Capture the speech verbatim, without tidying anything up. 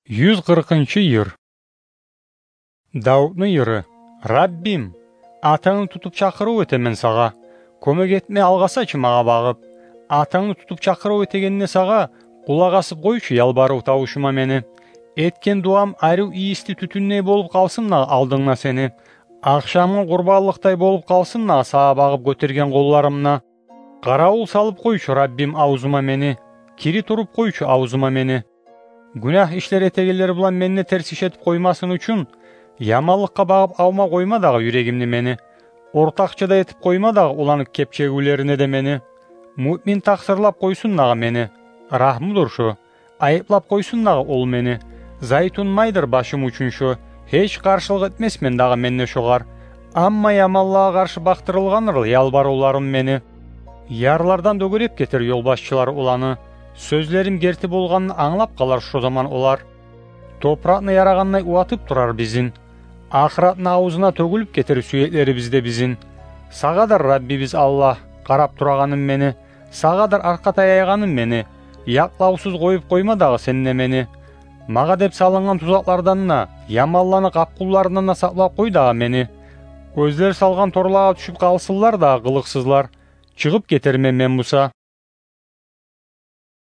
Юз къыркъынчы йыр. Давутну йыры. Раббим, атангны тутуп чакъырыв этемен сагъа. Кёмек этме алгъасачы магъа багъып. Атангны тутуп чакъырыв этегенде сагъа, къулакъ асып къойчу ялбарыв тавушума мени. Этген дуам арив ийисли тютюндей болуп къалсын дагъы алдынгда сени. Ахшамгъа къурбанлыкъдай болуп къалсын дагъы сагъа багъып гётерген къолларымда. Къаравул салып къойчу, Раббим, авзума мени. Кири туруп къойчу авзума мени. Гюнагь ишлер этегенлер булан менде терс иш этип къоймасын учун, яманлыкъгъа багъып авма къойма дагъы юрегимни мени. Ортакъчы да этип къойма дагъы уланык кепчегивлерине де мени. Муъмин такъсырлап къойсун дагъы мени. Рагьмудур шо. Айыплап къойсун дагъы ол мени. Зайтун майдыр башым учун шо. Гьеч къаршылыкъ этмесмен дагъы мен де шогъар. Амма яманлагъа къаршы бакътырылгъандыр ялбарывларым мени. Ярлардан дёгереп гетер ёлбашчылар оланы. Сёзлерим герти болгъанын англап къалар шо заман олар. Топуракъны ярагъандай уватып турар бизин. Ахыратны авзуна тёгюлюп гетер сюеклерибиз де бизин. Сагъадыр, Раббибиз Аллагь, къарап турагъаным мени. Сагъадыр аркъа таяйгъаным мени. Якълавсуз къоюп къойма дагъы сен де мени. Магъа деп салынгъан тузакълардан да, яманланы къапкъунларындан да сакълап къой дагъы мени. Оьзлер салгъан торлагъа тюшюп къалсынлар дагъы къылыкъсызлар. Чыгъып гетермен мен буса.